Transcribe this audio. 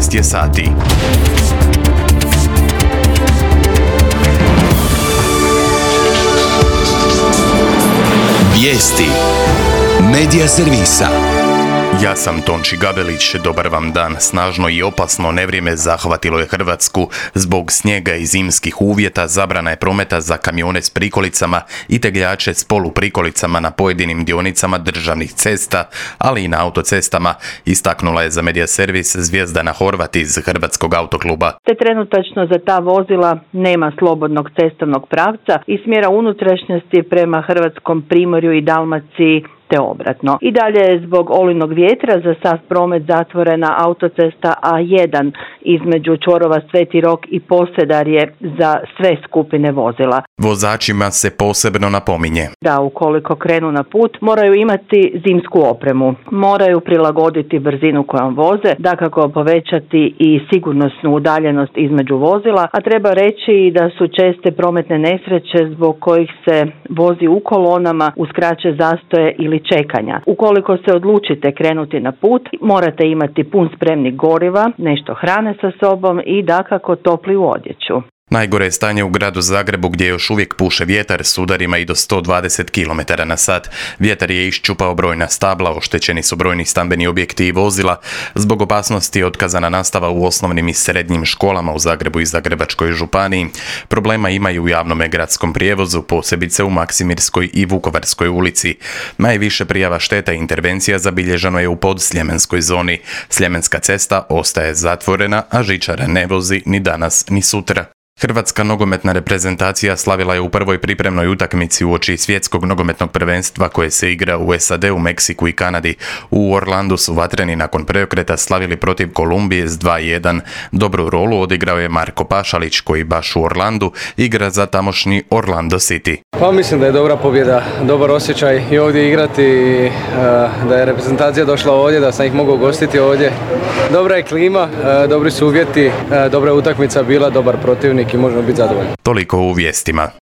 14 je sati. Vijesti Medija servisa. Ja sam Tonči Gabelić, dobar vam dan. Snažno i opasno nevrijeme zahvatilo je Hrvatsku. Zbog snijega i zimskih uvjeta zabrana je prometa za kamione s prikolicama i tegljače s poluprikolicama na pojedinim dionicama državnih cesta, ali i na autocestama, istaknula je za Medija servis Zvjezdana Horvat iz Hrvatskog autokluba. Te trenutačno za ta vozila nema slobodnog cestovnog pravca i smjera unutrašnjosti prema Hrvatskom primorju i Dalmaciji te obratno. I dalje je zbog olujnog vjetra za sav promet zatvorena autocesta A1 između čvorova Sveti Rok i Posedarje za sve skupine vozila. Vozačima se posebno napominje Da ukoliko krenu na put moraju imati zimsku opremu, moraju prilagoditi brzinu kojom voze, dakako povećati i sigurnosnu udaljenost između vozila, a treba reći i da su česte prometne nesreće zbog kojih se vozi u kolonama uz kraće zastoje ili čekanja. Ukoliko se odlučite krenuti na put, morate imati pun spremnik goriva, nešto hrane sa sobom i dakako toplu odjeću. Najgore je stanje u gradu Zagrebu gdje još uvijek puše vjetar s udarima i do 120 km na sat. Vjetar je iščupao brojna stabla, oštećeni su brojni stambeni objekti i vozila. Zbog opasnosti otkazana nastava u osnovnim i srednjim školama u Zagrebu i Zagrebačkoj županiji. Problema imaju u javnom gradskom prijevozu, posebice u Maksimirskoj i Vukovarskoj ulici. Najviše prijava šteta i intervencija zabilježeno je u podsljemenskoj zoni. Sljemenska cesta ostaje zatvorena, a žičara ne vozi ni danas ni sutra. Hrvatska nogometna reprezentacija slavila je u prvoj pripremnoj utakmici uoči svjetskog nogometnog prvenstva koje se igra u SAD-u, Meksiku i Kanadi. U Orlandu su vatreni nakon preokreta slavili protiv Kolumbije s 2:1. Dobru rolu odigrao je Marko Pašalić koji baš u Orlandu igra za tamošnji Orlando City. Pa mislim da je dobra pobjeda, dobar osjećaj i ovdje igrati, da je reprezentacija došla ovdje, da sam ih mogao gostiti ovdje. Dobra je klima, dobri su uvjeti, dobra je utakmica bila, dobar protivnik i možemo biti zadovoljni. Toliko u vijestima.